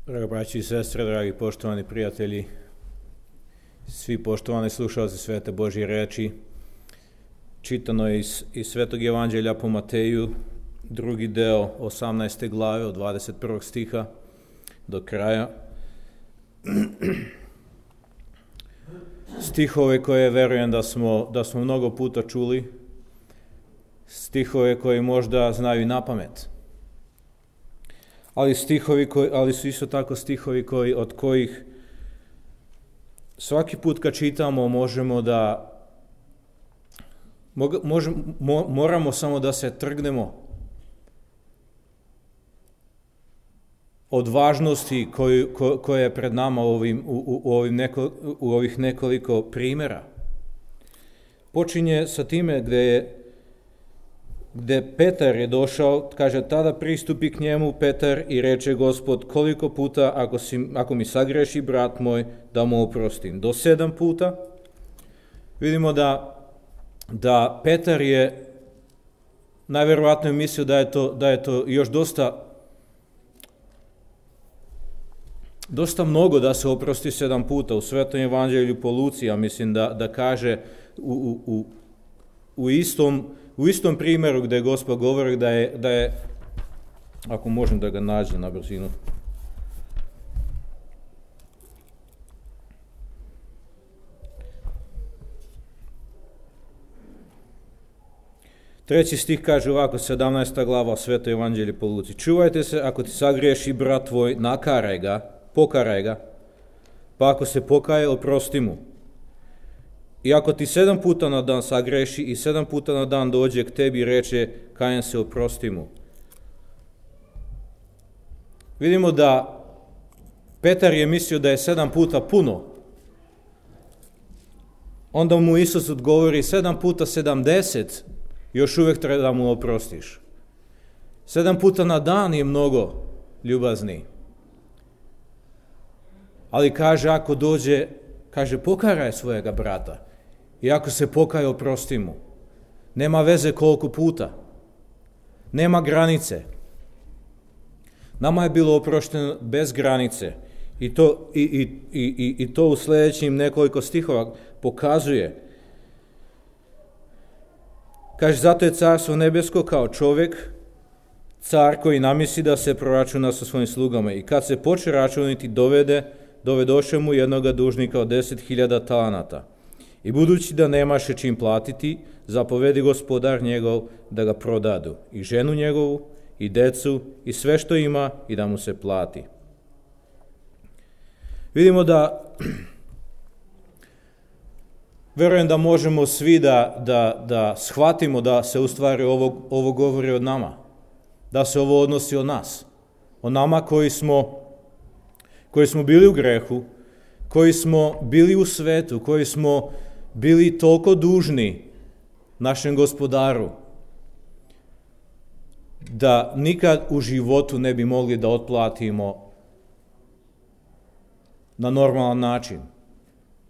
Draga braći i sestre, dragi poštovani prijatelji, svi poštovani slušalci Svete Božje reči, čitano je iz Svetog Evanđelja po Mateju, drugi deo 18. glave od 21. stiha do kraja. Stihove koje verujem da smo mnogo puta čuli, stihove koji možda znaju na pamet. Ali su isto tako stihovi od kojih svaki put kad čitamo moramo samo da se trgnemo od važnosti koja je pred nama u ovih nekoliko primjera. Počinje sa time gde Petar je došao, kaže, tada pristupi k njemu Petar i reče: Gospod, koliko puta ako mi sagreši brat moj, da mu oprostim? Do 7 puta. Vidimo da Petar je najverovatnije mislio da je to još dosta mnogo da se oprosti 7 puta. U Svetom Evanđelju po Luci, ja mislim da kaže u istom primjeru gdje Gospod govori da je, ako možem da ga nađem na brzinu, treći stih kaže ovako, 17. glava Sveto Evanđelje po Luci: čuvajte se, ako ti sagriješi brat tvoj, pokaraj ga, pa ako se pokaje, oprosti mu. I ako ti 7 puta na dan sagreši i 7 puta na dan dođe k tebi i reče: kajem se, oprosti mu. Vidimo da Petar je mislio da je 7 puta puno. Onda mu Isus odgovori: 7 puta 70, još uvijek treba da mu oprostiš. 7 puta na dan je mnogo, ljubazni. Ali kaže, ako dođe, kaže, pokaraj svojega brata. I ako se pokaje, oprosti mu. Nema veze koliko puta. Nema granice. Nama je bilo oprošteno bez granice. I to u sljedećim nekoliko stihova pokazuje. Kaže, zato je carstvo nebesko kao čovjek, car koji namisli da se proračuna sa svojim slugama. I kad se poče računiti, dovedoše mu jednoga dužnika od 10.000 talanata. I budući da nemaše čim platiti, zapovedi gospodar njegov da ga prodadu, i ženu njegovu, i decu, i sve što ima, i da mu se plati. Vidimo verujem da možemo svi da shvatimo da se u stvari ovo govori o nama, da se ovo odnosi o nas, o nama koji smo bili u grehu, koji smo bili u svetu, koji smo bili toliko dužni našem gospodaru, da nikad u životu ne bi mogli da otplatimo na normalan način.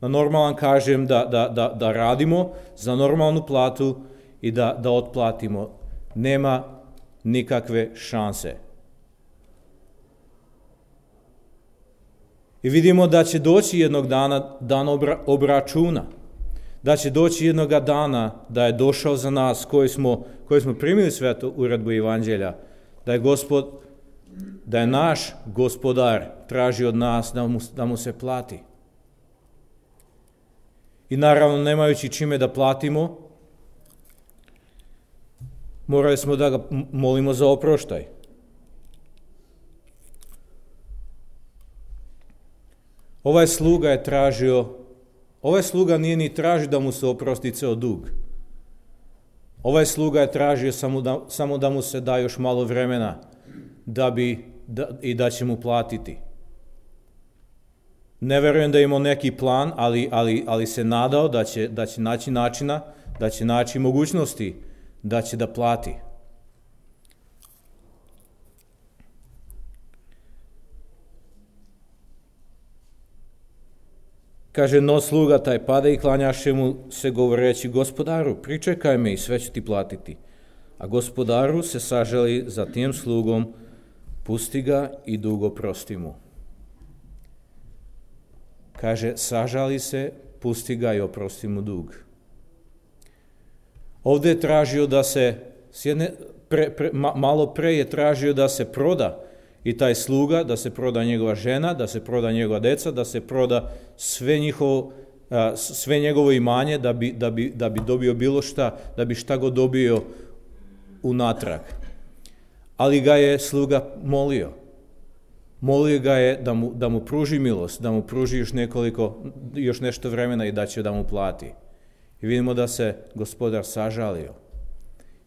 Na normalan kažem da radimo za normalnu platu i da otplatimo. Nema nikakve šanse. I vidimo da će doći jednog dana dan obračuna. Da će doći jednog dana da je došao za nas koji smo primili svetu uredbu Evanđelja, da je naš gospodar traži od nas da mu se plati. I naravno, nemajući čime da platimo, morali smo da ga molimo za oproštaj. Ovaj sluga nije ni tražio da mu se oprosti ceo dug. Ovaj sluga je tražio samo da mu se da još malo vremena da će mu platiti. Ne verujem da je imao neki plan, ali se nadao da će naći načina, da će naći mogućnosti da će da plati. Kaže, no sluga taj pada i klanjaše mu se govoreći: gospodaru, pričekaj me i sve ću ti platiti. A gospodaru se sažali za tim slugom, pusti ga i dug oprosti mu. kaže, sažali se, pusti ga i oprosti mu dug. Ovdje je tražio da se, malo pre je tražio da se proda i taj sluga, da se proda njegova žena, da se proda njegova deca, da se proda sve njegovo imanje da bi dobio bilo šta, da bi šta god dobio unatrag. Ali ga je sluga molio. Molio ga je da mu pruži milost, da mu pruži još nešto vremena i da će da mu plati. I vidimo da se gospodar sažalio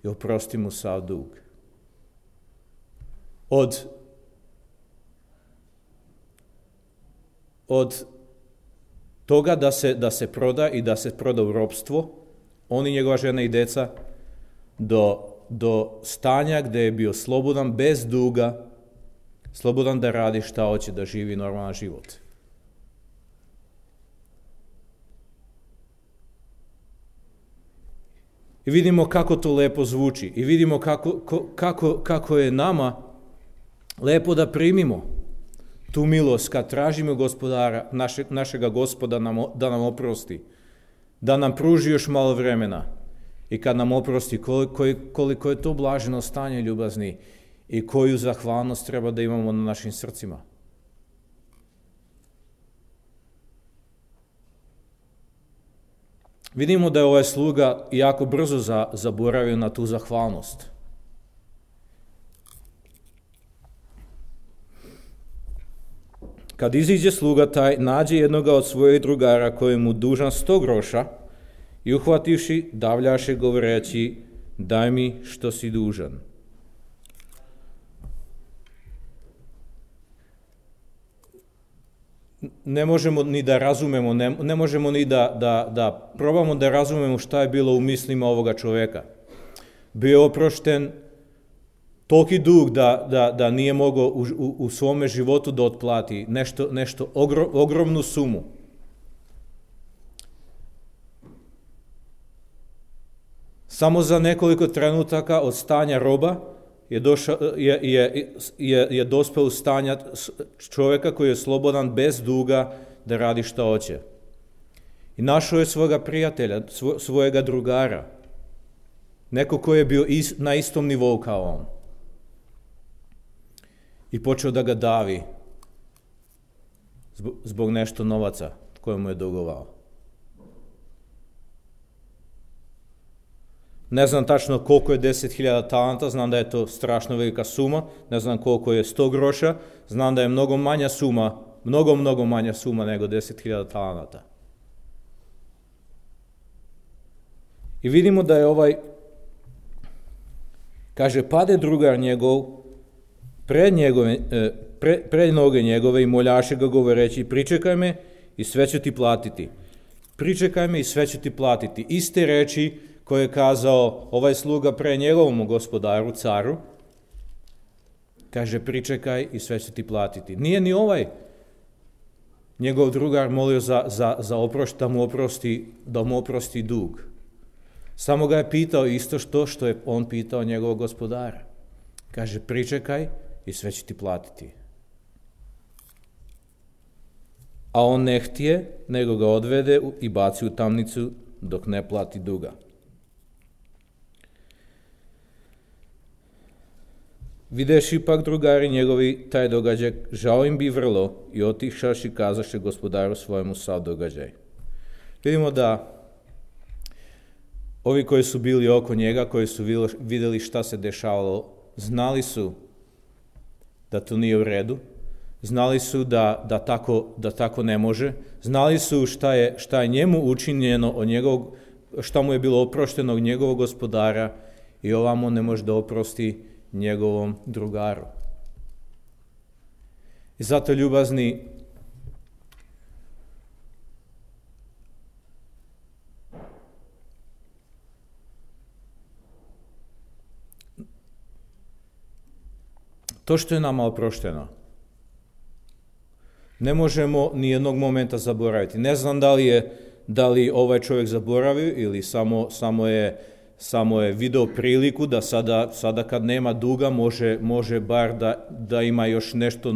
i oprosti mu sav dug. Od toga da se proda i da se proda u ropstvo, on i njegova žena i deca, do stanja gdje je bio slobodan, bez duga, slobodan da radi šta hoće, da živi normalan život. I vidimo kako to lepo zvuči. I vidimo kako je nama lepo da primimo tu milost kad tražimo gospodara, našega gospoda da nam oprosti, da nam pruži još malo vremena i kad nam oprosti koliko je to blaženo stanje, ljubazni, i koju zahvalnost treba da imamo na našim srcima. Vidimo da je ovaj sluga jako brzo zaboravio na tu zahvalnost. Kad iziđe sluga taj, nađe jednoga od svojih drugara koji mu dužan 100 groša i uhvativši, davljaše govoreći, daj mi što si dužan. Ne možemo ni da razumemo, ne možemo ni da probamo da razumemo šta je bilo u mislima ovoga čoveka. Bio je oprošten toliki dug da nije mogao u svome životu da otplati nešto ogromnu sumu. Samo za nekoliko trenutaka od stanja roba je dospeo u stanja čovjeka koji je slobodan bez duga da radi šta hoće. I našao je svoga prijatelja, svojega drugara, neko koji je bio na istom nivou kao on. I počeo da ga davi zbog nešto novaca koje mu je dugovao. Ne znam tačno koliko je 10.000 talenta, znam da je to strašno velika suma, ne znam koliko je 100 groša, znam da je mnogo manja suma nego 10.000 talenata. I vidimo da je kaže, pade drugar njegov pred noge njegove i moljaše ga govoreći, pričekaj me i sve ću ti platiti. Pričekaj me i sve ću ti platiti. Iste reči koje je kazao ovaj sluga pre njegovom gospodaru, caru, kaže, pričekaj i sve ću ti platiti. Nije ni ovaj njegov drugar molio za oprost, da mu oprosti dug. Samo ga je pitao isto što je on pitao njegovog gospodara. Kaže, pričekaj i sve ću ti platiti. A on ne htije, nego ga odvede i baci u tamnicu dok ne plati duga. Videši pak drugari njegovi taj događaj, žao im bi vrlo i otišaši kazaše gospodaru svojemu sav događaj. Vidimo da ovi koji su bili oko njega, koji su vidjeli šta se dešavalo, znali su da to nije u redu, znali su da tako ne može, znali su šta je njemu učinjeno šta mu je bilo oprošteno od njegovog gospodara i ovamo ne može da oprosti njegovom drugaru. I zato, ljubazni, to što je nama oprošteno, ne možemo ni jednog momenta zaboraviti. Ne znam da li ovaj čovjek zaboravio ili samo je video priliku da sada kad nema duga može bar da ima još nešto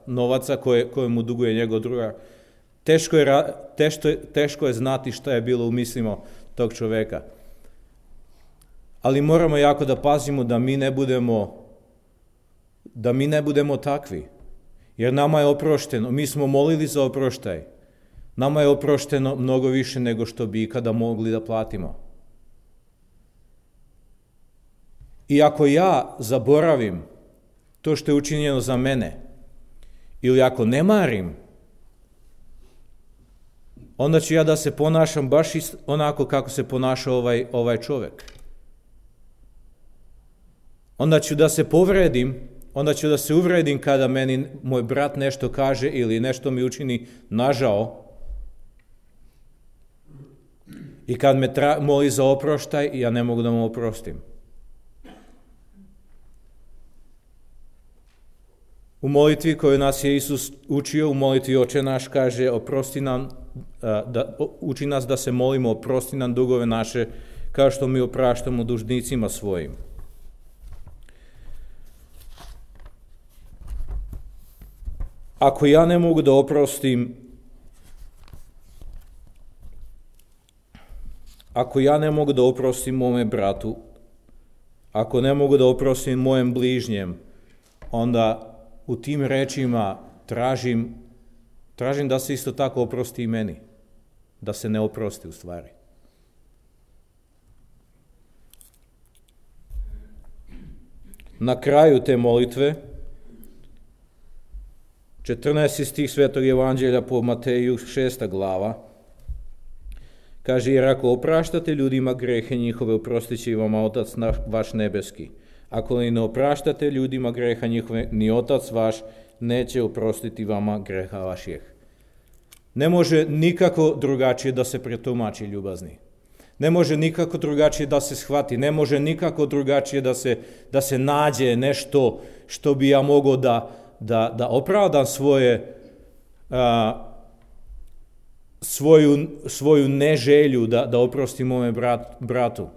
novaca koje mu duguje njegov drugar, Teško je znati šta je bilo u mislima tog čoveka. Ali moramo jako da pazimo da mi ne budemo takvi. Jer nama je oprošteno. Mi smo molili za oproštaj. Nama je oprošteno mnogo više nego što bi ikada mogli da platimo. I ako ja zaboravim to što je učinjeno za mene, ili ako ne marim, onda ću ja da se ponašam baš onako kako se ponašao ovaj čovjek. Onda ću da se povredim, onda ću da se uvredim kada meni moj brat nešto kaže ili nešto mi učini nažao. I kad me moli za oproštaj, ja ne mogu da mu oprostim. U molitvi koju nas je Isus učio, u molitvi Oče naš, kaže, uči nas da se molimo, oprosti nam dugove naše, kao što mi opraštamo dužnicima svojim. Ako ja ne mogu da oprostim, mome bratu, ako ne mogu da oprostim mojem bližnjem, onda u tim rečima tražim da se isto tako oprosti i meni. Da se ne oprosti u stvari. Na kraju te molitve, 14. stih Svetog Evanđelja po Mateju, 6. glava, kaže, jer ako opraštate ljudima grehe njihove, oprostit će vama Otac vaš nebeski. Ako li ne opraštate ljudima greha njihove, ni Otac vaš neće oprostiti vama greha vaših. Ne može nikako drugačije da se pretumači, ljubazni. Ne može nikako drugačije da se shvati. Ne može nikako drugačije da se nađe nešto što bi ja mogao da opravdam svoju neželju da oprostim mome bratu.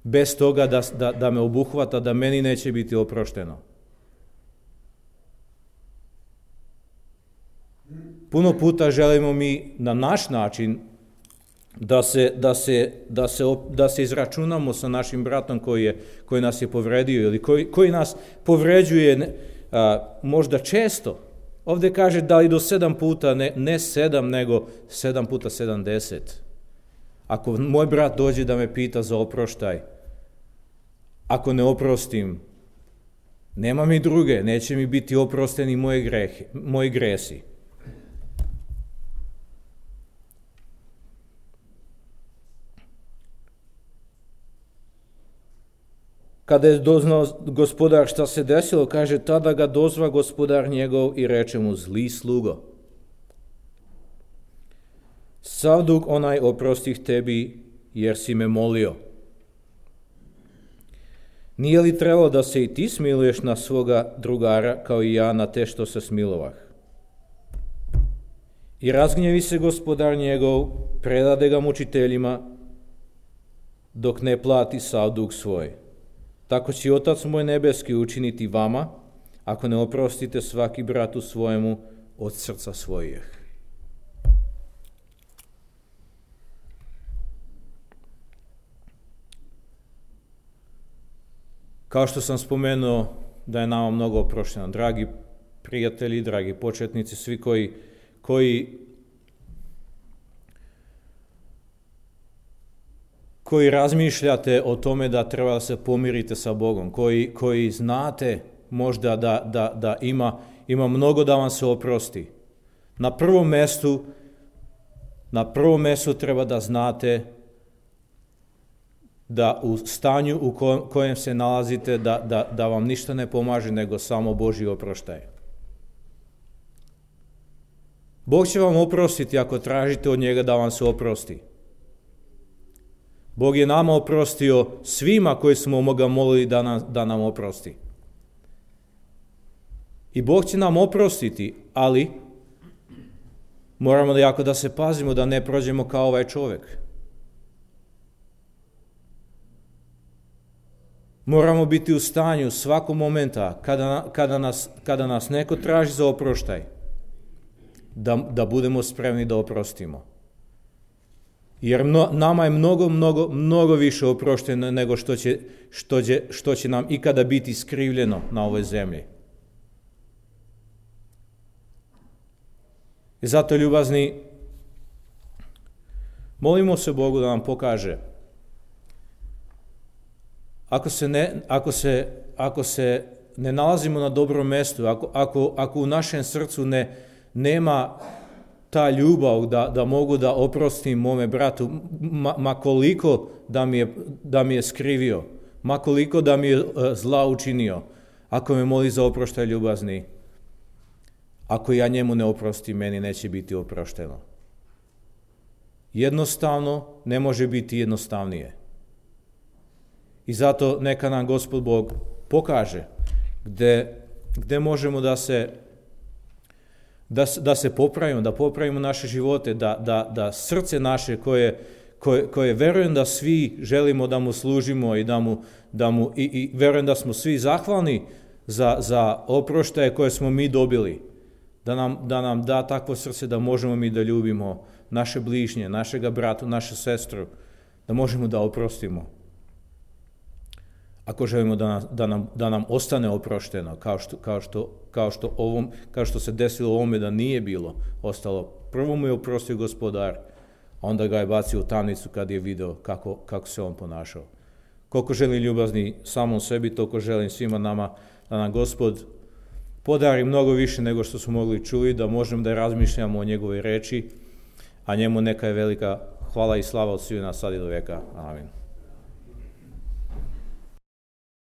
Bez toga da me obuhvata, da meni neće biti oprošteno. Puno puta želimo mi na naš način da se izračunamo sa našim bratom koji nas je povredio ili koji nas povređuje možda često. Ovdje kaže da li do 7 puta, ne 7, nego 7 puta 70. Ako moj brat dođe da me pita za oproštaj, ako ne oprostim, nema mi druge, neće mi biti oprosteni moji gresi. Kada je doznao gospodar šta se desilo, kaže, tada ga dozva gospodar njegov i reče mu, zli slugo. Sav dug onaj oprostih tebi, jer si me molio. Nije li trebalo da se i ti smiluješ na svoga drugara, kao i ja na te što se smilovah? I razgnjevi se gospodar njegov, predade ga mučiteljima, dok ne plati sav dug svoj. Tako će Otac moj nebeski učiniti vama, ako ne oprostite svaki bratu svojemu od srca svojih. Kao što sam spomenuo da je nama mnogo oprošteno, dragi prijatelji, dragi početnici, svi koji razmišljate o tome da treba da se pomirite sa Bogom, koji znate možda da ima mnogo da vam se oprosti. Na prvom mjestu treba da znate da u stanju u kojem se nalazite da vam ništa ne pomaže nego samo Božji oproštaj. Bog će vam oprostiti ako tražite od njega da vam se oprosti. Bog je nama oprostio svima koji smo ga molili da nam oprosti. I Bog će nam oprostiti, ali moramo jako da se pazimo da ne prođemo kao ovaj čovjek. Moramo biti u stanju svakog momenta kada nas neko traži za oproštaj, da budemo spremni da oprostimo. Jer nama je mnogo više oprošteno nego što će nam ikada biti skrivljeno na ovoj zemlji. I zato, ljubazni, molimo se Bogu da nam pokaže. Ako se ne nalazimo na dobrom mjestu, ako u našem srcu nema ta ljubav da mogu da oprostim mome bratu, ma koliko da mi je skrivio, ma koliko da mi je zla učinio, ako me moli za oproštaj, ljubazni, ako ja njemu ne oprostim, meni neće biti oprošteno. Jednostavno ne može biti jednostavnije. I zato neka nam Gospod Bog pokaže gde možemo da se popravimo, da popravimo naše živote, da srce naše koje verujem da svi želimo da mu služimo i verujem da smo svi zahvalni za oproštaje koje smo mi dobili, da nam da takvo srce da možemo mi da ljubimo naše bližnje, našega brata, našu sestru, da možemo da oprostimo. Ako želimo da nam ostane oprošteno, kao što se desilo ovome da nije bilo ostalo. Prvo mu je oprostio Gospodar, a onda ga je bacio u tamnicu kad je video kako se on ponašao. Koliko želim, ljubazni, samom sebi, toliko želim svima nama da nam Gospod podari mnogo više nego što smo mogli čuli, da možemo da razmišljamo o njegovoj reči, a njemu neka je velika hvala i slava od svih nas sad i do veka. Amin.